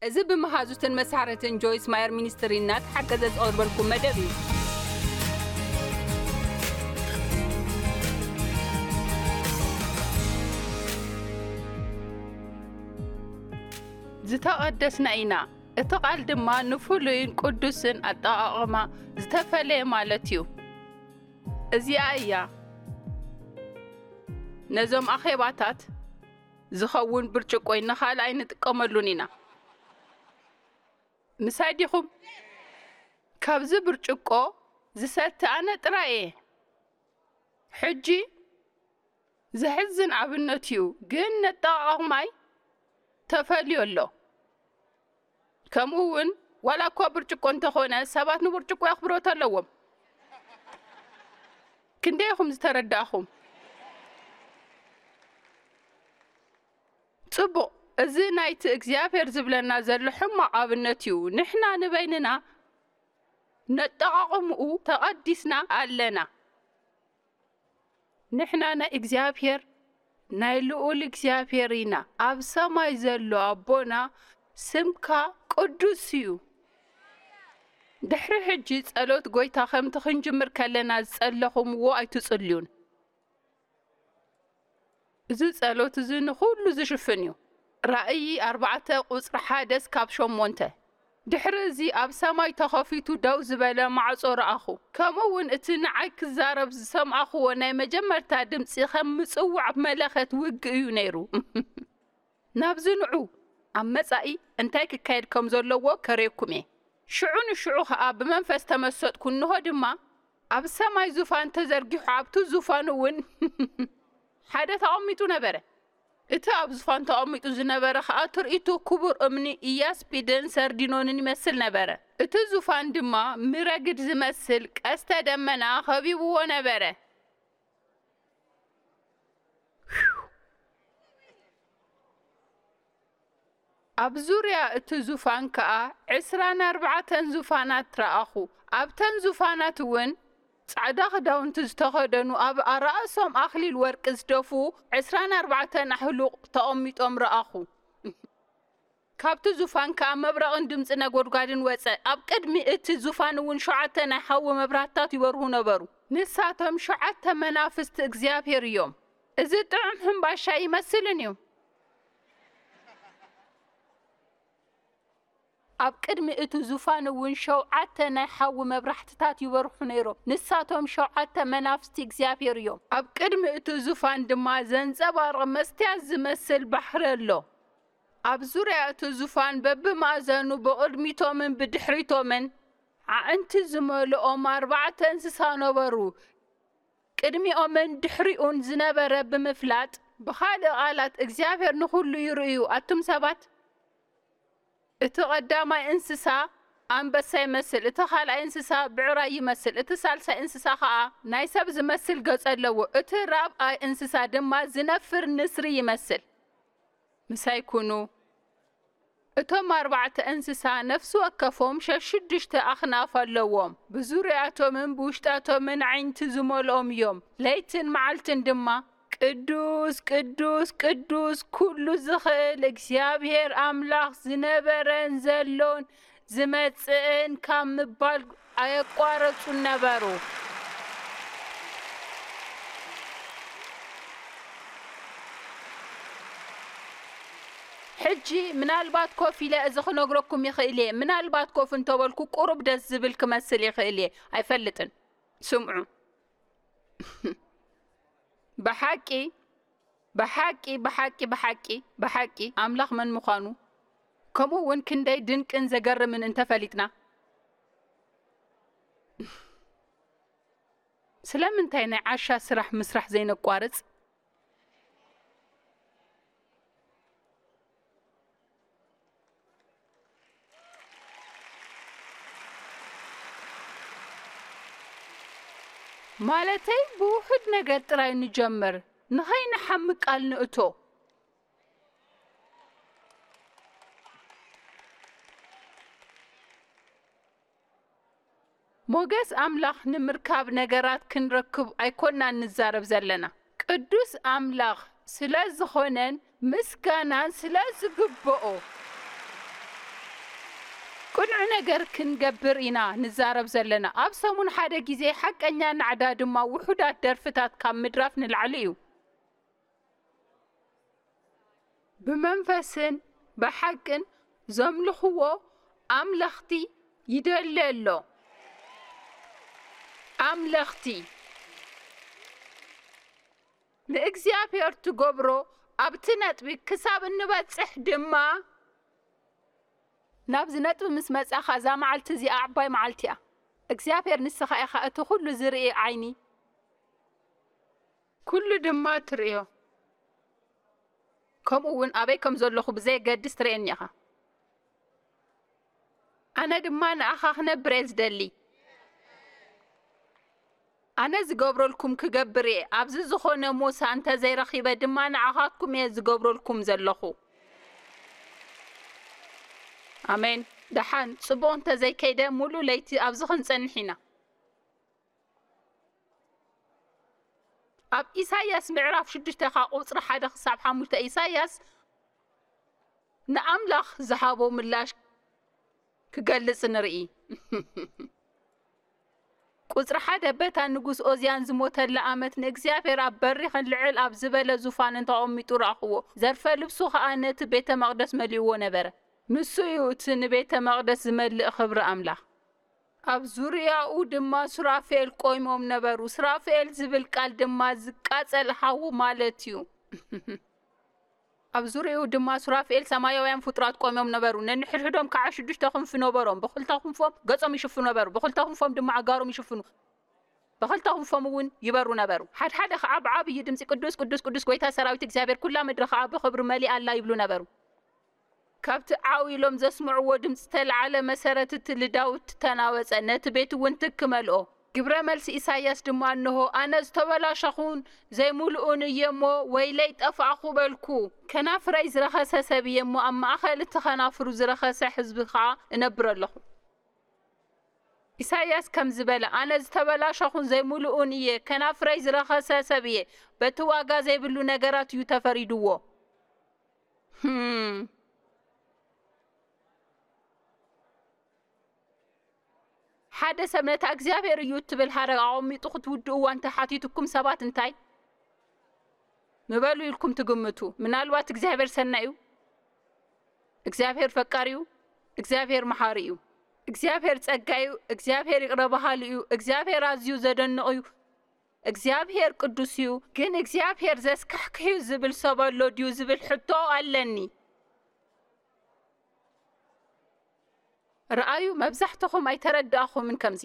እዚ ብመሃዙትን መሳርሕትን ጆይስ ማየር ሚኒስትሪ እናተሓገዘ ዝቐርበልኩም መደብ እዩ። ዝተቐደስና ኢና። እቲ ቃል ድማ ንፍሉይን ቅዱስን ኣጠቓቕማ ዝተፈለየ ማለት እዩ። እዚኣ እያ ነዞም ኣኼባታት ዝኸውን ብርጭቆ፣ ንኻልኣይ ንጥቀመሉን ኢና። ምሳይ ዲኹም? ካብዚ ብርጭቆ ዝሰቲ ኣነ ጥራይ እየ። ሕጂ ዘሕዝን ኣብነት እዩ፣ ግን ነጠቓቕማይ ተፈልዩ ኣሎ። ከምኡ እውን ዋላ እኳ ብርጭቆ እንተኾነ ሰባት ንብርጭቆ ኣኽብሮት ኣለዎም። ክንደይ ኢኹም ዝተረዳእኹም? ጽቡቕ፣ እዚ ናይቲ እግዚኣብሔር ዝብለና ዘሎ ሕማቕ ኣብነት እዩ። ንሕና ንበይንና ነጠቓቕምኡ ተቐዲስና ኣለና። ንሕና ናይ እግዚኣብሔር፣ ናይ ልኡል እግዚኣብሔር ኢና። ኣብ ሰማይ ዘሎ ኣቦና፣ ስምካ ቅዱስ እዩ። ድሕሪ ሕጂ ጸሎት ጎይታ ከምቲ ክንጅምር ከለና ዝጸለኹምዎ ኣይትጽልዩን። እዚ ጸሎት እዚ ንኹሉ ዝሽፍን እዩ። ራእይ ኣርባዕተ ቁጽሪ ሓደ እስካብ ሸሞንተ። ድሕሪ እዚ ኣብ ሰማይ ተኸፊቱ ደው ዝበለ ማዕጾ ረኣኹ። ከምኡ እውን እቲ ንዓይ ክዛረብ ዝሰምዓኽዎ ናይ መጀመርታ ድምጺ ከም ምጽዋዕ መለኸት ውግእ እዩ ነይሩ። ናብዚ ንዑ፣ ኣብ መጻኢ እንታይ ክካየድ ከም ዘለዎ ከርእየኩም እየ። ሽዑ ንሽዑ ኸኣ ብመንፈስ ተመሰጥኩ፣ እንሆ ድማ ኣብ ሰማይ ዙፋን ተዘርጊሑ፣ ኣብቲ ዙፋን እውን ሓደ ተቐሚጡ ነበረ። እቲ ኣብ ዙፋን ተቐሚጡ ዝነበረ ኸኣ ትርኢቱ ክቡር እምኒ ኢያስጲድን ሰርዲኖንን ይመስል ነበረ። እቲ ዙፋን ድማ ምረግድ ዝመስል ቀስተ ደመና ኸቢብዎ ነበረ። ኣብ ዙርያ እቲ ዙፋን ከኣ ዕስራን ኣርባዕተን ዙፋናት ረኣኹ። ኣብተን ዙፋናት እውን ጻዕዳ ኽዳውንቲ ዝተኸደኑ፣ ኣብ ኣራእሶም ኣኽሊል ወርቂ ዝደፍኡ ዕስራን ኣርባዕተን ኣሕሉቕ ተቐሚጦም ረኣኹ። ካብቲ ዙፋን ከኣ መብረቕን ድምጺ ነጎድጓድን ወጸ። ኣብ ቅድሚ እቲ ዙፋን እውን ሸውዓተ ናይ ሓዊ መብራህትታት ይበርሁ ነበሩ። ንሳቶም ሸውዓተ መናፍስቲ እግዚኣብሔር እዮም። እዚ ጥዑም ሕምባሻ ይመስልን እዩ። ኣብ ቅድሚ እቲ ዙፋን እውን ሸውዓተ ናይ ሓዊ መብራህትታት ይበርሑ ነይሮም። ንሳቶም ሸውዓተ መናፍስቲ እግዚኣብሔር እዮም። ኣብ ቅድሚ እቲ ዙፋን ድማ ዘንጸባርቕ መስትያት ዝመስል ባሕሪ ኣሎ። ኣብ ዙርያ እቲ ዙፋን በብማእዘኑ ብቕድሚቶምን ብድሕሪቶምን ኣዕንቲ ዝመልኦም ኣርባዕተ እንስሳ ነበሩ። ቅድሚኦምን ድሕሪኡን ዝነበረ ብምፍላጥ፣ ብኻልእ ቃላት፣ እግዚኣብሔር ንኹሉ ይርእዩ። ኣቱም ሰባት፣ እቲ ቐዳማይ እንስሳ ኣንበሳ ይመስል፣ እቲ ኻልኣይ እንስሳ ብዕራይ ይመስል፣ እቲ ሳልሳይ እንስሳ ኸኣ ናይ ሰብ ዝመስል ገጽ ኣለዎ፣ እቲ ራብኣይ እንስሳ ድማ ዝነፍር ንስሪ ይመስል። ምሳይ ኩኑ። እቶም ኣርባዕተ እንስሳ ነፍሲ ወከፎም ሸሽዱሽተ ኣኽናፍ ኣለዎም። ብዙርያቶምን ብውሽጣቶምን ኣዒንቲ ዝመልኦም እዮም። ለይትን መዓልትን ድማ፣ "ቅዱስ፣ ቅዱስ፣ ቅዱስ፣ ኩሉ ዝኽእል እግዚኣብሔር ኣምላኽ ዝነበረን ዘሎን ዝመጽእን" ካብ ምባል ኣየቋረጹን ነበሩ። ሕጂ ምናልባት ኮፍ ኢለ እዚ ክነግረኩም ይኽእል እየ። ምናልባት ኮፍ እንተበልኩ ቁሩብ ደስ ዝብል ክመስል ይኽእል እየ። ኣይፈልጥን። ስምዑ። ብሓቂ፣ ብሓቂ፣ ብሓቂ፣ ብሓቂ፣ ብሓቂ ኣምላኽ መን ምዃኑ፣ ከምኡ እውን ክንደይ ድንቅን ዘገርምን እንተፈሊጥና፣ ስለምንታይ ናይ ዓሻ ስራሕ ምስራሕ ዘይነቋርጽ? ማለተይ፣ ብውሑድ ነገር ጥራይ ንጀምር፣ ንኸይንሓምቅ ቃል ንእቶ። ሞገስ ኣምላኽ ንምርካብ ነገራት ክንረክብ ኣይኮናን ንዛረብ ዘለና። ቅዱስ ኣምላኽ ስለ ዝኾነን ምስጋናን ስለ ዝግብኦ። ቅኑዕ ነገር ክንገብር ኢና ንዛረብ ዘለና። ኣብ ሰሙን ሓደ ግዜ ሓቀኛ ናዕዳ ድማ ውሑዳት ደርፍታት ካብ ምድራፍ ንላዕሊ እዩ። ብመንፈስን ብሓቅን ዘምልኽዎ ኣምለኽቲ ይደሊ ኣሎ። ኣምለኽቲ ንእግዚኣብሔር ትገብሮ ኣብቲ ነጥቢ ክሳብ እንበጽሕ ድማ ናብዚ ነጥቢ ምስ መጻኻ እዛ መዓልቲ እዚኣ ዓባይ መዓልቲ እያ። እግዚኣብሔር ንስኻ ኢኻ እቲ ኩሉ ዝርኢ ዓይኒ። ኩሉ ድማ ትርእዮ። ከምኡ እውን ኣበይ ከም ዘለኹ ብዘየገድስ ትርእየኒ ኢኻ። ኣነ ድማ ንኣኻ ክነብር እየ ዝደሊ። ኣነ ዝገብረልኩም ክገብር እየ። ኣብዚ ዝኾነ ሞሳ እንተዘይረኺበ ድማ ንዓኻትኩም እየ ዝገብረልኩም ዘለኹ። ኣሜን። ደሓን ጽቡቕ እንተዘይከይደ፣ ሙሉእ ለይቲ ኣብዚ ክንጸንሕ ኢና። ኣብ ኢሳይያስ ምዕራፍ ሽዱሽተ ካብ ቁጽሪ ሓደ ክሳብ ሓሙሽተ፣ ኢሳይያስ ንኣምላኽ ዝሃቦ ምላሽ ክገልጽ ንርኢ። ቁጽሪ ሓደ፣ በታ ንጉስ ኦዝያን ዝሞተላ ዓመት ንእግዚኣብሔር ኣብ በሪኽን ልዕል ኣብ ዝበለ ዙፋንን ተቐሚጡ ረኣኽዎ። ዘርፈ ልብሱ ኸኣ ነቲ ቤተ መቕደስ መሊእዎ ነበረ። ንሱ እዩ እቲ ንቤተ መቕደስ ዝመልእ ኽብሪ ኣምላኽ። ኣብ ዙርያኡ ድማ ሱራፌል ቆይሞም ነበሩ። ሱራፌል ዝብል ቃል ድማ ዝቃጸል ሓዊ ማለት እዩ። ኣብ ዙርያኡ ድማ ሱራፌል ሰማያውያን ፍጡራት ቆይሞም ነበሩ። ነንሕድሕዶም ከዓ ሽዱሽተ ክንፊ ነበሮም። ብኽልተ ክንፎም ገጾም ይሽፍኑ ነበሩ፣ ብኽልተ ክንፎም ድማ ኣእጋሮም ይሽፍኑ፣ ብኽልተ ክንፎም እውን ይበሩ ነበሩ። ሓድሓደ ከዓ ብዓብዪ ድምፂ፣ "ቅዱስ፣ ቅዱስ፣ ቅዱስ፣ ጐይታ ሰራዊት እግዚኣብሔር፣ ኩላ ምድሪ ከዓ ብኽብሪ መሊኣ ኣላ" ይብሉ ነበሩ። ካብቲ ዓው ኢሎም ዘስምዕዎ ድምፂ ዝተልዓለ መሰረት እቲ ልዳውት ተናወፀ፣ ነቲ ቤት እውን ትክ መልኦ። ግብረ መልሲ ኢሳይያስ ድማ፣ "እንሆ፣ ኣነ ዝተበላሸኹን ዘይምሉእን እየ እሞ፣ ወይለይ ጠፋእኹ" በልኩ። ከናፍረይ ዝረኸሰ ሰብ እየ እሞ፣ ኣብ ማእኸል እቲ ኸናፍሩ ዝረኸሰ ህዝቢ ኸዓ እነብር ኣለኹ። ኢሳይያስ ከምዚ በለ፣ "ኣነ ዝተበላሸኹን ዘይምሉእን እየ፣ ከናፍረይ ዝረኸሰ ሰብ እየ፣ በቲ ዋጋ ዘይብሉ ነገራት እዩ ተፈሪድዎ።" ህም። ሓደ ሰብ ነታ እግዚኣብሔር እዩ እትብል ሃረግ ኣቐሚጡ ክትውድእዋ እንተሓቲቱኩም ሰባት እንታይ ምበሉ ኢልኩም ትግምቱ? ምናልባት እግዚኣብሔር ሰናይ እዩ፣ እግዚኣብሔር ፈቃሪ እዩ፣ እግዚኣብሔር መሓሪ እዩ፣ እግዚኣብሔር ጸጋ እዩ፣ እግዚኣብሔር ይቕረ በሃሊ እዩ፣ እግዚኣብሔር ኣዝዩ ዘደንቕ እዩ፣ እግዚኣብሔር ቅዱስ እዩ። ግን እግዚኣብሔር ዘስካሕክሕ እዩ ዝብል ሰብ ኣሎ ድዩ ዝብል ሕቶ ኣለኒ። ረኣዩ፣ መብዛሕትኹም ኣይተረዳእኹምን ከምዚ።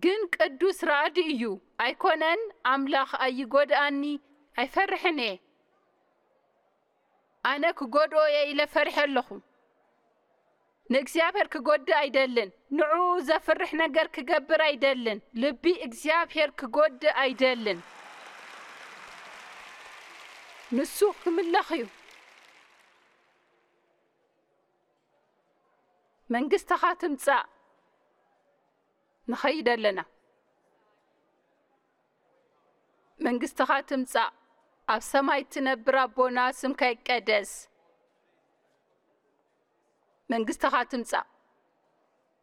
ግን ቅዱስ ራእዲ እዩ፣ ኣይኮነን? ኣምላኽ ኣይጎድኣኒ፣ ኣይፈርሕን እየ። ኣነ ክጎድኦ እየ ኢለ ፈሪሐ ኣለኹ። ንእግዚኣብሔር ክጎድእ ኣይደልን። ንዕኡ ዘፍርሕ ነገር ክገብር ኣይደልን። ልቢ እግዚኣብሔር ክጎድእ ኣይደልን። ንሱ ክምለኽ እዩ። መንግስትኻ ትምጻእ። ንኸይድ ኣለና። መንግስትኻ ትምጻእ። ኣብ ሰማይ ትነብር ኣቦና፣ ስምካ ይቀደስ። መንግስትኻ ትምጻእ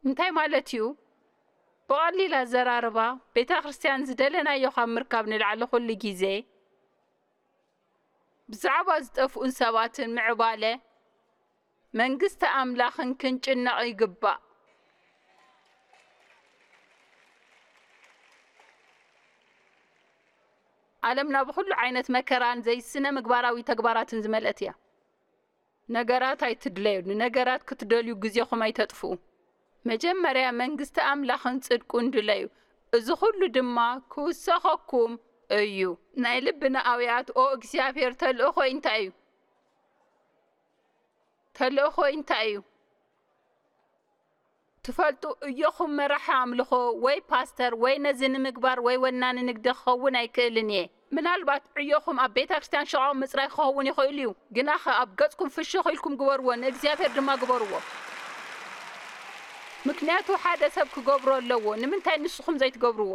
እንታይ ማለት እዩ? ብቐሊል ኣዘራርባ፣ ቤተ ክርስቲያን ዝደለናዮ ካብ ምርካብ ንላዕሊ ኩሉ ግዜ ብዛዕባ ዝጠፍኡን ሰባትን ምዕባለ መንግስቲ ኣምላኽን ክንጭነቕ ይግባእ። ዓለምና ብኹሉ ዓይነት መከራን ዘይስነ ምግባራዊ ተግባራትን ዝመልአት እያ። ነገራት ኣይትድለዩ፣ ንነገራት ክትደልዩ ግዜኹም ኣይተጥፍኡ። መጀመርያ መንግስቲ ኣምላኽን ጽድቁን ድለዩ። እዚ ኹሉ ድማ ክውሰኸኩም እዩ። ናይ ልብና ኣውያት፣ ኦ እግዚኣብሔር፣ ተልእኾይ እንታይ እዩ? ተልእኾይ እንታይ እዩ? ትፈልጡ፣ እዮኹም መራሒ ኣምልኾ ወይ ፓስተር ወይ ነዚ ንምግባር ወይ ወናኒ ንግዲ ክኸውን ኣይክእልን እየ። ምናልባት ዕዮኹም ኣብ ቤተ ክርስቲያን ሽቓቕ ምጽራይ ክኸውን ይኽእል እዩ። ግናኸ ኣብ ገጽኩም ፍሽኽ ኢልኩም ግበርዎ፣ ንእግዚኣብሔር ድማ ግበርዎ። ምክንያቱ ሓደ ሰብ ክገብሮ ኣለዎ። ንምንታይ ንስኹም ዘይትገብርዎ?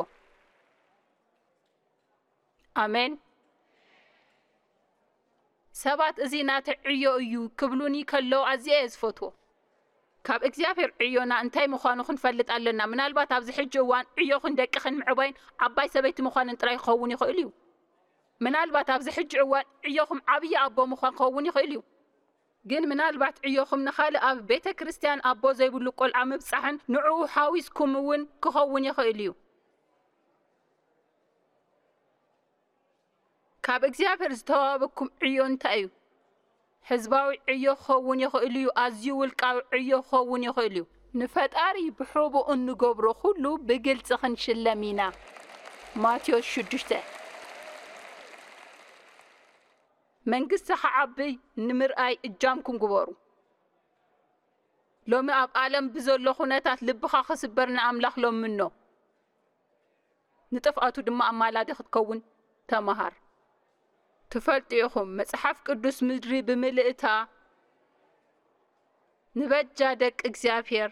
ኣሜን። ሰባት እዚ ናተይ ዕዮ እዩ ክብሉኒ ከለዉ ኣዝየ እየ ዝፈትዎ። ካብ እግዚኣብሔር ዕዮና እንታይ ምዃኑ ክንፈልጥ ኣለና። ምናልባት ኣብዚ ሕጂ እዋን ዕዮኽን ደቅኽን ምዕባይን ዓባይ ሰበይቲ ምዃንን ጥራይ ክኸውን ይኽእል እዩ። ምናልባት ኣብዚ ሕጂ እዋን ዕዮኹም ዓብዪ ኣቦ ምዃን ክኸውን ይኽእል እዩ። ግን ምናልባት ዕዮኹም ንኻልእ ኣብ ቤተ ክርስቲያን ኣቦ ዘይብሉ ቆልዓ ምብጻሕን ንዕኡ ሓዊስኩም እውን ክኸውን ይኽእል እዩ። ካብ እግዚኣብሔር ዝተዋህበኩም ዕዮ እንታይ እዩ? ህዝባዊ ዕዮ ክኸውን ይኽእል እዩ። ኣዝዩ ውልቃዊ ዕዮ ክኸውን ይኽእል እዩ። ንፈጣሪ ብሕቡእ እንገብሮ ኩሉ ብግልጺ ክንሽለም ኢና። ማቴዎስ ሽዱሽተ። መንግስቲ ክዓቢ ንምርኣይ እጃምኩም ግበሩ። ሎሚ ኣብ ዓለም ብዘሎ ኩነታት ልብኻ ክስበር ንኣምላኽ ለምኖ። ንጥፍኣቱ ድማ ኣማላዲ ክትከውን ተመሃር። ትፈልጡ ኢኹም፣ መጽሓፍ ቅዱስ ምድሪ ብምልእታ ንበጃ ደቂ እግዚኣብሔር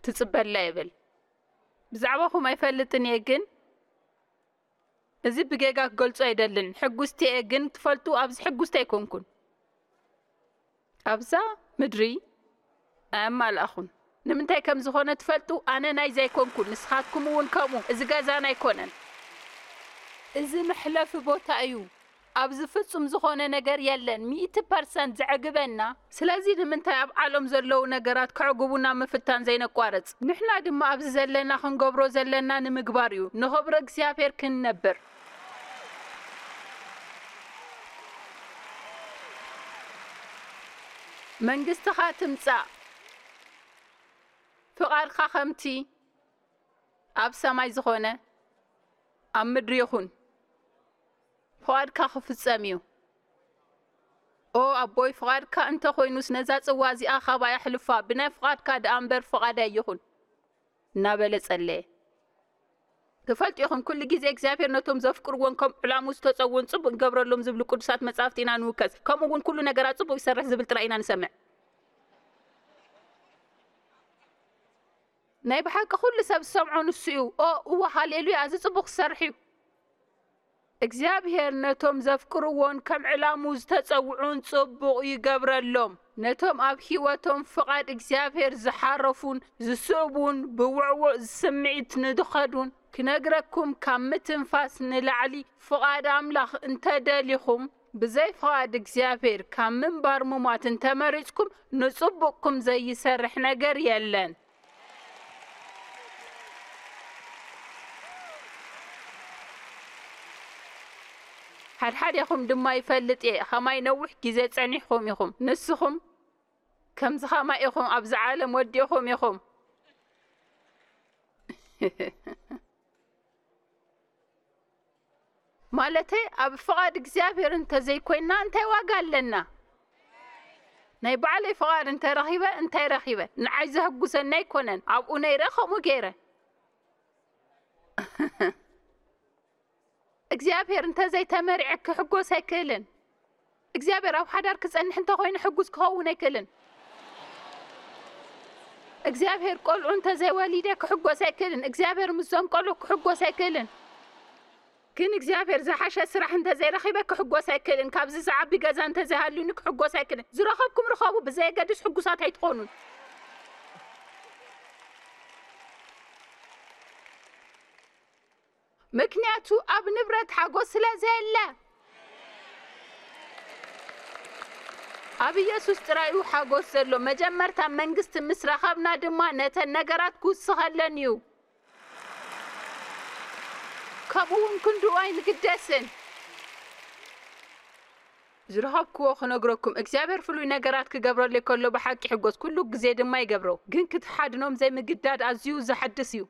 ትጽበላ ይብል። ብዛዕባኹም ኣይፈልጥን እየ፣ ግን እዚ ብጌጋ ክገልጾ ኣይደልን። ሕጉስቲ እየ፣ ግን ትፈልጡ፣ ኣብዚ ሕጉስቲ ኣይኮንኩን። ኣብዛ ምድሪ ኣየማልኣኹን። ንምንታይ ከም ዝኾነ ትፈልጡ? ኣነ ናይዚ ኣይኮንኩን፣ ንስኻትኩም እውን ከምኡ። እዚ ገዛና ኣይኮነን። እዚ መሕለፊ ቦታ እዩ። ኣብዚ ፍጹም ዝኾነ ነገር የለን። ሚእቲ ፐርሰንት ዘዕግበና። ስለዚ ንምንታይ ኣብ ዓለም ዘለዉ ነገራት ከዕግቡና ምፍታን ዘይነቋርጽ? ንሕና ድማ ኣብዚ ዘለና ክንገብሮ ዘለና ንምግባር እዩ፣ ንኽብሪ እግዚኣብሔር ክንነብር። መንግስትኻ ትምጻእ፣ ፍቓድካ ከምቲ ኣብ ሰማይ ዝኾነ ኣብ ምድሪ ይኹን። ፍቓድካ ክፍጸም እዩ። ኦ ኣቦይ፣ ፍቓድካ እንተ ኾይኑስ ነዛ ጽዋ እዚኣ ኻባይ ኣሕልፋ፣ ብናይ ፍቓድካ ደኣ እምበር ፍቓደይ ኣይኹን፣ እናበለ ጸለየ። ትፈልጡ ኢኹም፣ ኩሉ ግዜ እግዚኣብሔር ነቶም ዘፍቅርዎን ከም ዕላሙ ዝተጸውዑን ጽቡቕ ይገብረሎም ዝብሉ ቅዱሳት መጻሕፍቲ ኢና ንውከስ። ከምኡ እውን ኩሉ ነገራት ጽቡቕ ይሰርሕ ዝብል ጥራይ ኢና ንሰምዕ። ናይ ብሓቂ ኩሉ ሰብ ዝሰምዖ ንሱ እዩ። ኦ እወ፣ ሃሌሉያ፣ እዚ ጽቡቕ ክሰርሕ እዩ። እግዚኣብሔር ነቶም ዘፍቅርዎን ከም ዕላሙ ዝተጸውዑን ጽቡቕ ይገብረሎም። ነቶም ኣብ ህይወቶም ፍቓድ እግዚኣብሔር ዝሓረፉን ዝስእቡን ብውዕዉዕ ስምዒት ንድኸዱን ክነግረኩም ካብ ምትንፋስ ንላዕሊ ፍቓድ ኣምላኽ እንተደሊኹም ብዘይ ፍቓድ እግዚኣብሔር ካብ ምንባር ሙማት እንተመሪጽኩም ንጽቡቕኩም ዘይሰርሕ ነገር የለን። ሓድሓዴኹም ድማ ይፈልጥ እየ፣ ኸማይ ነዊሕ ግዜ ጸኒሕኹም ኢኹም። ንስኹም ከምዚ ኸማይ ኢኹም፣ ኣብዚ ዓለም ወዲእኹም ኢኹም። ማለተይ ኣብ ፍቓድ እግዚኣብሔር እንተዘይኮይንና እንታይ ዋጋ ኣለና? ናይ ባዕለይ ፍቓድ እንተረኺበ እንታይ ረኺበ? ንዓይ ዘህጉሰኒ ኣይኮነን። ኣብኡ ነይረ ከምኡ ገይረ። እግዚኣብሔር እንተዘይተመሪዐ ክሕጎስ ኣይክእልን። እግዚኣብሔር ኣብ ሓዳር ክጸንሕ እንተኾይኑ ሕጉስ ክኸውን ኣይክእልን። እግዚኣብሔር ቆልዑ እንተዘይወሊደ ክሕጎስ ኣይክእልን። እግዚኣብሔር ምስዞም ቆልዑ ክሕጎስ ኣይክእልን። ግን እግዚኣብሔር ዝሓሸ ስራሕ እንተዘይረኺበ ክሕጎስ ኣይክእልን። ካብዚ ዝዓቢ ገዛ እንተዘይሃልዩኒ ክሕጎስ ኣይክእልን። ዝረኸብኩም ርኸቡ፣ ብዘየገድስ ሕጉሳት ኣይትኾኑን። ምክንያቱ ኣብ ንብረት ሓጎስ ስለ ዘየለ። ኣብ ኢየሱስ ጥራይ እዩ ሓጎስ ዘሎ። መጀመርታ መንግስቲ ምስ ረኸብና ድማ ነተን ነገራት ክውስኸለን እዩ። ከምኡ እውን ክንድኡ ኣይንግደስን። ዝረኸብክዎ ክነግረኩም፣ እግዚኣብሔር ፍሉይ ነገራት ክገብረለይ ከሎ ብሓቂ ይሕጎስ፣ ኩሉ ግዜ ድማ ይገብሮ። ግን ክትሓድኖም ዘይምግዳድ ኣዝዩ ዘሐድስ እዩ።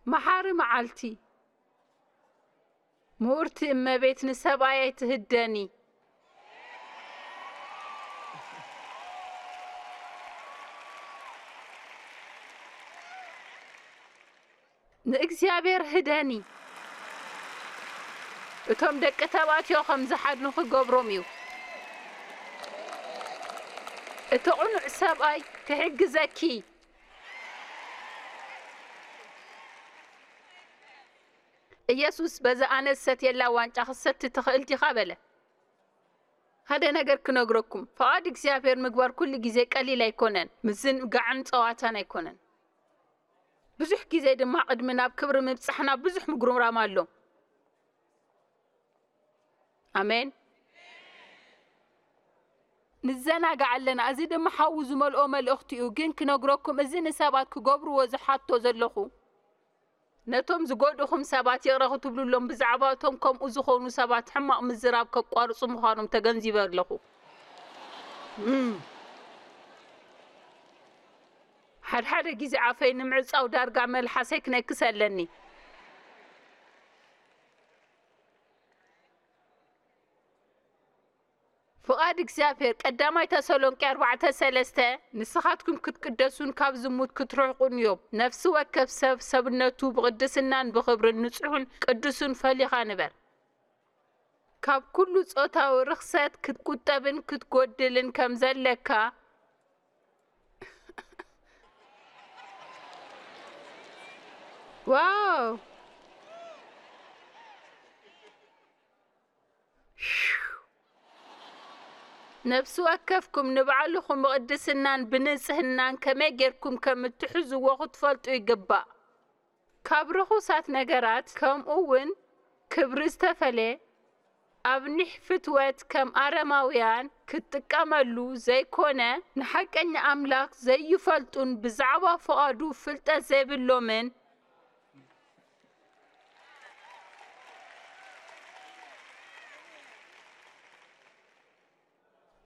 መሓሪ መዓልቲ። ምኡርቲ እመቤት፣ ንሰብኣይ ኣይትህደኒ። ንእግዚኣብሔር ህደኒ። እቶም ደቂ ተባዕትዮ ከም ዝሓድኑ ክገብሮም እዩ። እቲ ቅኑዕ ሰብኣይ ክሕግዘኪ። ኢየሱስ፣ "በዛ ኣነ ዝሰትየላ ዋንጫ ክትሰቲ ትኽእል ዲኻ?" በለ። ሓደ ነገር ክነግረኩም፣ ፍቓድ እግዚኣብሔር ምግባር ኩሉ ግዜ ቀሊል ኣይኮነን፣ ምዝንጋዕን ጸዋታን ኣይኮነን። ብዙሕ ግዜ ድማ ቅድሚ ናብ ክብሪ ምብጻሕና ብዙሕ ምጉርምራም ኣሎ። ኣሜን። ንዘናጋዕ ኣለና። እዚ ድማ ሓዊ ዝመልኦ መልእኽቲ እዩ። ግን ክነግረኩም፣ እዚ ንሰባት ክገብርዎ ዝሓቶ ዘለኹ፣ ነቶም ዝጎድእኹም ሰባት ይቕረ ክትብሉሎም፣ ብዛዕባ እቶም ከምኡ ዝኾኑ ሰባት ሕማቕ ምዝራብ ከቋርጹ ምዃኖም ተገንዚበ ኣለኹ። እም። ሓድሓደ ግዜ ኣፈይ ንምዕጻው ዳርጋ መልሓሰይ ክነክስ ኣለኒ። ፍቓድ እግዚኣብሔር፣ ቀዳማይ ተሰሎንቄ ኣርባዕተ ሰለስተ፣ "ንስኻትኩም ክትቅደሱን ካብ ዝሙት ክትርሕቁን እዮም። ነፍሲ ወከፍ ሰብ ሰብነቱ ብቕድስናን ብኽብርን ንጹሕን ቅዱስን ፈሊኻ ንበር።" ካብ ኩሉ ጾታዊ ርኽሰት ክትቁጠብን ክትጎድልን ከም ዘለካ። ዋው! ነፍሲ ወከፍኩም ንባዕልኹም ብቕድስናን ብንጽህናን ከመይ ጌርኩም ከም እትሕዝዎ ክትፈልጡ ይግባእ። ካብ ርኹሳት ነገራት፣ ከምኡ እውን ክብሪ ዝተፈልየ፣ ኣብ ኒሕ ፍትወት ከም ኣረማውያን ክትጥቀመሉ ዘይኮነ፣ ንሓቀኛ ኣምላኽ ዘይፈልጡን ብዛዕባ ፍቓዱ ፍልጠት ዘይብሎምን፣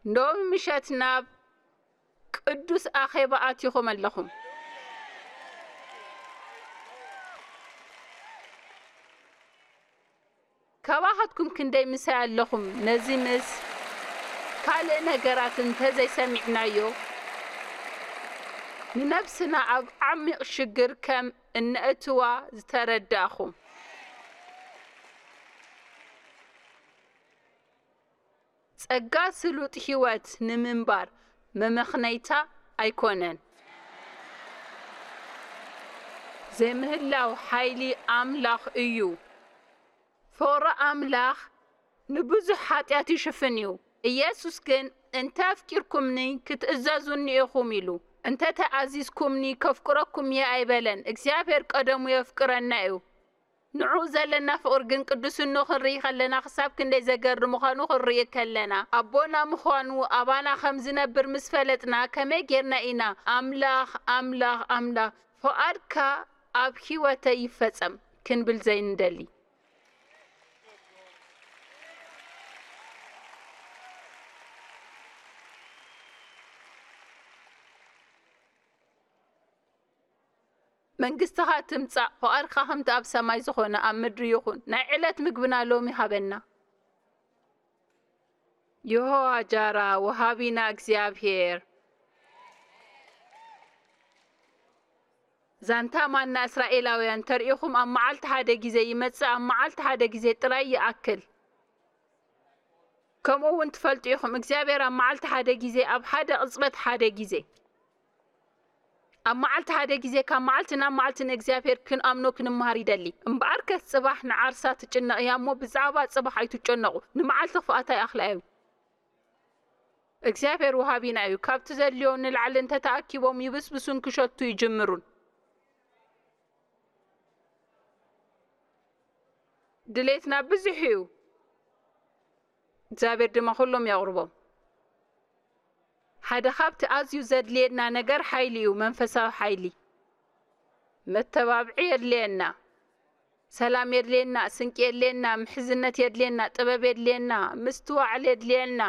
ሎሚ ምሸት ናብ ቅዱስ ኣኼባ ኣቲኹም ኣለኹም። ካባኻትኩም ክንደይ ምሳይ ኣለኹም? ነዚ ምስ ካልእ ነገራት እንተዘይሰሚዕናዮ፣ ንነብስና ኣብ ዓሚቕ ሽግር ከም እነእትዋ ዝተረዳእኹም። ጸጋ ስሉጥ ህይወት ንምንባር መመኽነይታ ኣይኮነን። ዘይምህላው ሓይሊ ኣምላኽ እዩ። ፍቕሪ ኣምላኽ ንብዙሕ ሓጢኣት ይሽፍን እዩ። ኢየሱስ ግን፣ "እንተ ኣፍቂርኩምኒ፣ ክትእዘዙኒ ኢኹም" ኢሉ። "እንተ ተኣዚዝኩምኒ፣ ከፍቅረኩም እየ" ኣይበለን። እግዚኣብሔር ቀደሙ የፍቅረና እዩ። ንዕኡ ዘለና ፍቕሪ ግን ቅዱስንኡ ክንርኢ ከለና ክሳብ ክንደይ ዘገርም ምዃኑ ክንርኢ ከለና፣ ኣቦና ምዃኑ ኣባና ከም ዝነብር ምስ ፈለጥና፣ ከመይ ጌርና ኢና "ኣምላኽ፣ ኣምላኽ፣ ኣምላኽ፣ ፍቓድካ ኣብ ህይወተይ ይፈጸም" ክንብል ዘይንደሊ? መንግስትኻ ትምጻእ፣ ፍቓድካ ከምቲ ኣብ ሰማይ ዝኾነ ኣብ ምድሪ ይኹን። ናይ ዕለት ምግብና ሎሚ ሃበና። የሆዋ ጃራ፣ ወሃቢና እግዚኣብሔር። ዛንታ ማና እስራኤላውያን ተርእኹም ኣብ መዓልቲ ሓደ ግዜ ይመጽእ፣ ኣብ መዓልቲ ሓደ ግዜ ጥራይ ይኣክል። ከምኡ እውን ትፈልጡ ኢኹም፣ እግዚኣብሔር ኣብ መዓልቲ ሓደ ግዜ፣ ኣብ ሓደ ቅጽበት ሓደ ግዜ፣ ኣብ መዓልቲ ሓደ ግዜ፣ ካብ መዓልቲ ናብ መዓልቲ ንእግዚኣብሔር ክንኣምኖ ክንመሃር ይደሊ። እምበኣርከስ ጽባሕ ንዓርሳ ትጭነቕ እያ እሞ፣ ብዛዕባ ጽባሕ ኣይትጨነቑ፣ ንመዓልቲ ክፍኣታ ይኣኽላ እዩ። እግዚኣብሔር ወሃቢና እዩ። ካብቲ ዘድልዮ ንላዕሊ እንተተኣኪቦም ይብስብሱን ክሸቱ ይጅምሩን። ድሌትና ብዙሕ እዩ፣ እግዚኣብሔር ድማ ኩሎም የቕርቦም። ሓደ ካብቲ ኣዝዩ ዘድልየና ነገር ሓይሊ እዩ፣ መንፈሳዊ ሓይሊ። መተባብዒ የድልየና፣ ሰላም የድልየና፣ ስንቂ የድልየና፣ ምሕዝነት የድልየና፣ ጥበብ የድልየና፣ ምስትዋዕል የድልየና።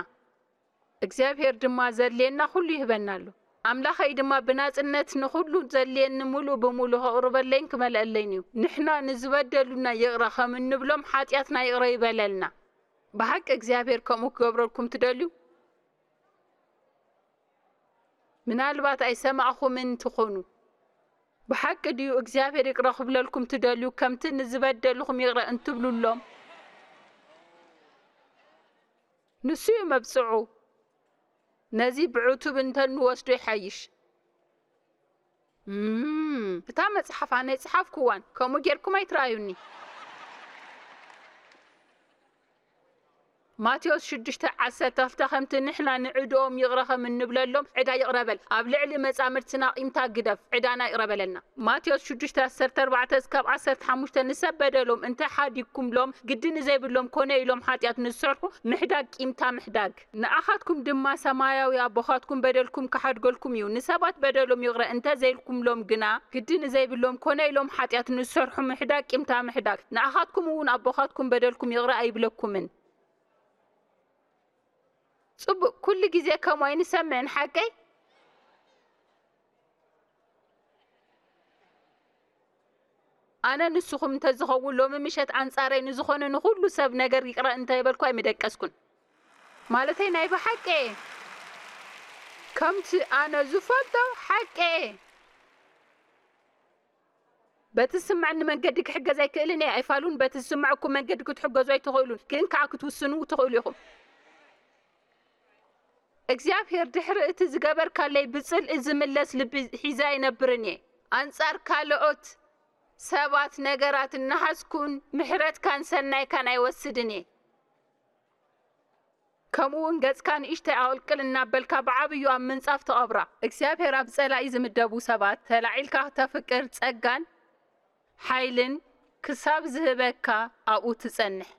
እግዚኣብሔር ድማ ዘድልየና ኩሉ ይህበና ኣሎ። ኣምላኸይ ድማ ብናጽነት ንኹሉ ዘድልየኒ ምሉእ ብምሉእ ከቕርበለይን ክመልአለይን እዩ። ንሕና ንዝበደሉና ይቕረ ከም እንብሎም ሓጢኣትና ይቕረ ይበለልና። ብሓቂ እግዚኣብሔር ከምኡ ክገብረልኩም ትደልዩ? ምናልባት ኣይሰማዕኹምን ትኾኑ። ብሓቂ ድዩ እግዚኣብሔር ይቕረ ክብለልኩም ትደልዩ፣ ከምቲ ንዝበደልኹም ይቕረ እንትብሉሎም? ንሱ እዩ መብጽዑ። ነዚ ብዕቱብ እንተንወስዶ ይሓይሽ። እም፣ እታ መጽሓፍ ኣነ ኣይጸሓፍኩዋን፣ ከምኡ ጌርኩም ኣይትረኣዩኒ። ማቴዎስ ሽዱሽተ ዓሰርተ ክልተ ከምቲ ንሕና ንዕድኦም ይቕረ ከም እንብለሎም ዕዳ ይቕረ በል። ኣብ ልዕሊ መጻምድትና ቂምታ ግደፍ፣ ዕዳና ይቕረ በለና። ማቴዎስ ሽዱሽተ ዓሰርተ ኣርባዕተ እስካብ ዓሰርተ ሓሙሽተ ንሰብ በደሎም እንተ ሓዲግኩምሎም ግዲ ንዘይብሎም ኮነ ኢሎም ሓጢኣት ንዝሰርሑ ምሕዳግ ቂምታ ምሕዳግ። ንኣኻትኩም ድማ ሰማያዊ ኣቦኻትኩም በደልኩም ክሓድገልኩም እዩ። ንሰባት በደሎም ይቕረ እንተ ዘይልኩምሎም ግና ግዲ ንዘይብሎም ኮነ ኢሎም ሓጢኣት ንዝሰርሑ ምሕዳግ ቂምታ ምሕዳግ። ንኣኻትኩም እውን ኣቦኻትኩም በደልኩም ይቕረ ኣይብለኩምን። ጽቡቕ፣ ኩሉ ግዜ ከምኡ ኣይንሰምዕን ሓቀይ? ኣነ ንስኹም እንተዝኸውን ሎሚ ምሸት ኣንጻረይ ንዝኾነ ንኹሉ ሰብ ነገር ይቕረ እንተይበልኩ ኣይምደቀስኩን። ማለተይ ናይ ብሓቂ ከምቲ ኣነ ዝፈልጦ ሓቂ። በቲ ዝስምዐኒ መንገዲ ክሕገዝ ኣይክእልን እየ። ኣይፋሉን በቲ ዝስምዐኩም መንገዲ ክትሕገዙ ኣይትኽእሉን፣ ግን ከኣ ክትውስኑ ትኽእሉ ኢኹም። እግዚኣብሔር ድሕሪ እቲ ዝገበርካለይ ብጽልኢ ዝምለስ ልቢ ሒዘ ኣይነብርን እየ። ኣንጻር ካልኦት ሰባት ነገራት እናሓዝኩን ምሕረትካን ሰናይካን ኣይወስድን እየ። ከምኡ እውን ገጽካ ንእሽተይ ኣቕልቅል እናበልካ ብዓብዩ ኣብ ምንጻፍ ትቐብራ። እግዚኣብሔር ኣብ ጸላኢ ዝምደቡ ሰባት ተላዒልካ ክተፍቅር ጸጋን ሓይልን ክሳብ ዝህበካ ኣብኡ ትጸንሕ።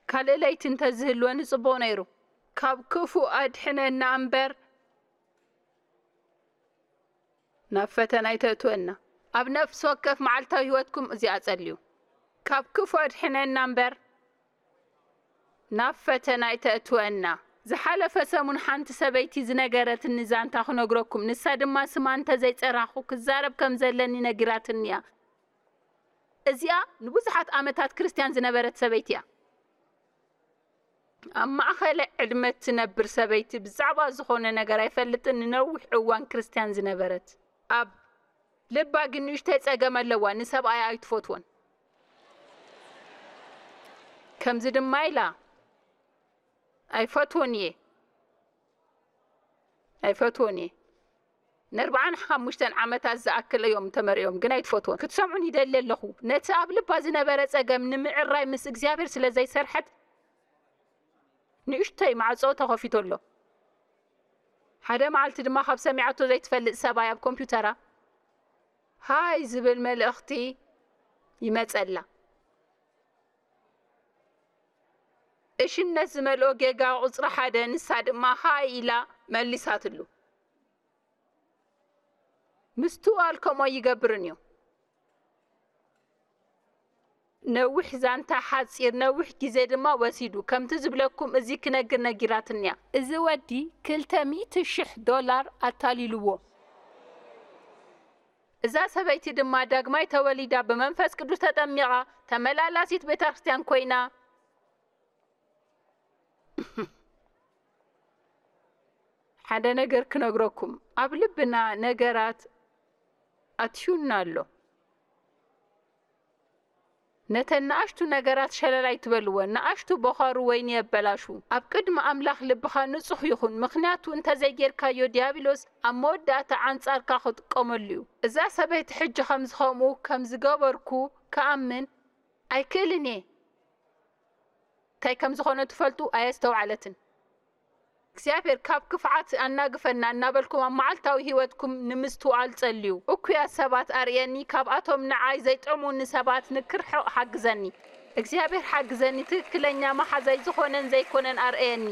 ካልእ ለይቲ እንተዝህልወኒ ጽቡቕ ነይሩ። ካብ ክፉእ ኣድሕነና እምበር ናብ ፈተና ኣይተእትወና። ኣብ ነፍሲ ወከፍ መዓልታዊ ህይወትኩም እዚኣ ጸልዩ። ካብ ክፉእ ኣድሕነና እምበር ናብ ፈተና ኣይተእትወና። ዝሓለፈ ሰሙን ሓንቲ ሰበይቲ ዝነገረትኒ ዛንታ ክነግረኩም፣ ንሳ ድማ ስማ እንተዘይጸራኹ ክዛረብ ከም ዘለኒ ነጊራትኒ እያ። እዚኣ ንብዙሓት ዓመታት ክርስትያን ዝነበረት ሰበይቲ እያ። ኣብ ማእኸለ ዕድመ እትነብር ሰበይቲ ብዛዕባ ዝኾነ ነገር ኣይፈልጥን፣ ንነዊሕ እዋን ክርስትያን ዝነበረት። ኣብ ልባ ግን ንእሽተይ ጸገም ኣለዋ፣ ንሰብኣያ ኣይትፈትዎን። ከምዚ ድማ ኢላ፣ "ኣይፈትዎን እየ፣ ኣይፈትዎን እየ። ንኣርባዓን ሓሙሽተን ዓመታት ዝኣክል እዮም ተመርዕዮም፣ ግን ኣይትፈትዎን። ክትሰምዑን ይደሊ ኣለኹ። ነቲ ኣብ ልባ ዝነበረ ጸገም ንምዕራይ ምስ እግዚኣብሔር ስለ ዘይሰርሐት፣ ንእሽተይ ማዕጾ ተኸፊቱ ኣሎ። ሓደ መዓልቲ ድማ ካብ ሰሚዓቶ ዘይትፈልጥ ሰብኣይ ኣብ ኮምፒውተራ ሃይ ዝብል መልእኽቲ ይመጸላ። እሽነት ዝመልኦ ጌጋ ቁጽሪ ሓደ፣ ንሳ ድማ ሃይ ኢላ መሊሳትሉ። ምስትውዓል ከምኡ ኣይገብርን እዩ። ነዊሕ ዛንታ ሓጺር ነዊሕ ግዜ ድማ ወሲዱ። ከምቲ ዝብለኩም እዚ ክነግር ነጊራትንያ። እዚ ወዲ ክልተ ሚእቲ ሽሕ ዶላር ኣታሊልዎ። እዛ ሰበይቲ ድማ ዳግማይ ተወሊዳ ብመንፈስ ቅዱስ ተጠሚቓ ተመላላሲት ቤተ ክርስቲያን ኮይና። ሓደ ነገር ክነግረኩም፣ ኣብ ልብና ነገራት ኣትዩና ኣሎ። ነተን ንኣሽቱ ነገራት ሸለል ኣይትበልወን። ንኣሽቱ ቦኻሩ ወይኒ የበላሹ። ኣብ ቅድሚ ኣምላኽ ልብኻ ንጹህ ይኹን፣ ምኽንያቱ እንተዘይጌርካዮ ዲያብሎስ ኣብ መወዳእታ ኣንጻርካ ክጥቀመሉ እዩ። እዛ ሰበይቲ ሕጂ ከምዚ ከምኡ ከም ዝገበርኩ ክኣምን ኣይክእልን እየ። እንታይ ከም ዝኾነ ትፈልጡ ኣየስተውዓለትን። እግዚኣብሔር ካብ ክፍዓት ኣናግፈና እናበልኩም ኣብ መዓልታዊ ህይወትኩም ንምስትውዓል ጸልዩ። እኩያት ሰባት ኣርእየኒ፣ ካብኣቶም ንዓይ ዘይጠሙኒ ሰባት ንክርሕቕ ሓግዘኒ። እግዚኣብሔር ሓግዘኒ፣ ትክክለኛ መሓዛይ ዝኾነን ዘይኮነን ኣርእየኒ።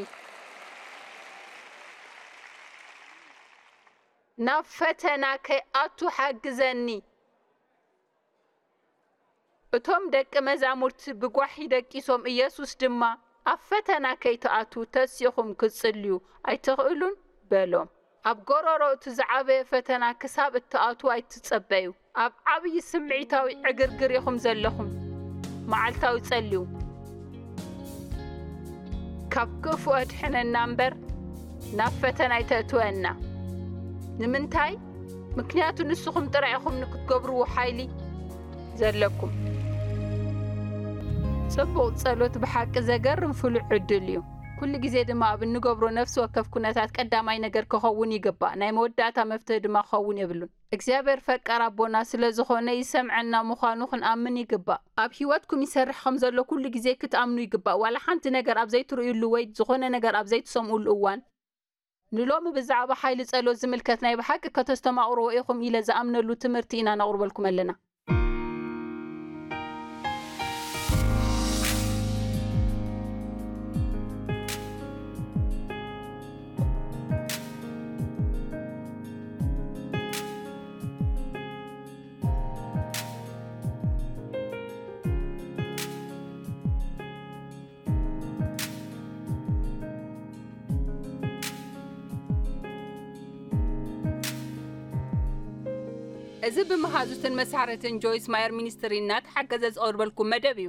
ናብ ፈተና ከይኣቱ ሓግዘኒ። እቶም ደቂ መዛሙርቲ ብጓሒ ደቂሶም፣ ኢየሱስ ድማ፣ "ኣብ ፈተና ከይትኣትዉ ተሲእኹም ክትጽልዩ ኣይትኽእሉን?" በሎም። ኣብ ጎረሮ እቲ ዝዓበየ ፈተና ክሳብ እትኣትዉ ኣይትጸበዩ። ኣብ ዓብዪ ስምዒታዊ ዕግርግር ኢኹም ዘለኹም። መዓልታዊ ጸልዩ። ካብ ክፉእ ኣድሕነና እምበር፣ ናብ ፈተና ኣይተእትወና። ንምንታይ? ምክንያቱ ንስኹም ጥራይ ኢኹም ንክትገብርዎ ሓይሊ ዘለኩም። ጽቡቕ ጸሎት ብሓቂ ዘገርም ፍሉይ ዕድል እዩ። ኩሉ ግዜ ድማ ኣብ እንገብሮ ነፍሲ ወከፍ ኩነታት ቀዳማይ ነገር ክኸውን ይግባእ፣ ናይ መወዳእታ መፍትሒ ድማ ክኸውን የብሉን። እግዚኣብሔር ፈቃር ኣቦና ስለ ዝኾነ ይሰምዐና ምዃኑ ክንኣምን ይግባእ። ኣብ ሕይወትኩም ይሰርሕ ከም ዘሎ ኩሉ ግዜ ክትኣምኑ ይግባእ። ዋላ ሓንቲ ነገር ኣብ ዘይትርእዩሉ ወይ ዝኾነ ነገር ኣብ ዘይትሰምኡሉ እዋን፣ ንሎሚ ብዛዕባ ሓይሊ ጸሎት ዝምልከት ናይ ብሓቂ ከተስተማቕርዎ ኢኹም ኢለ ዝኣምነሉ ትምህርቲ ኢና ነቕርበልኩም ኣለና። እዚ ብመሃዙትን መሳርሕትን ጆይስ ማየር ሚኒስትሪ እናተሓገዘ ዝቐርበልኩም መደብ እዩ።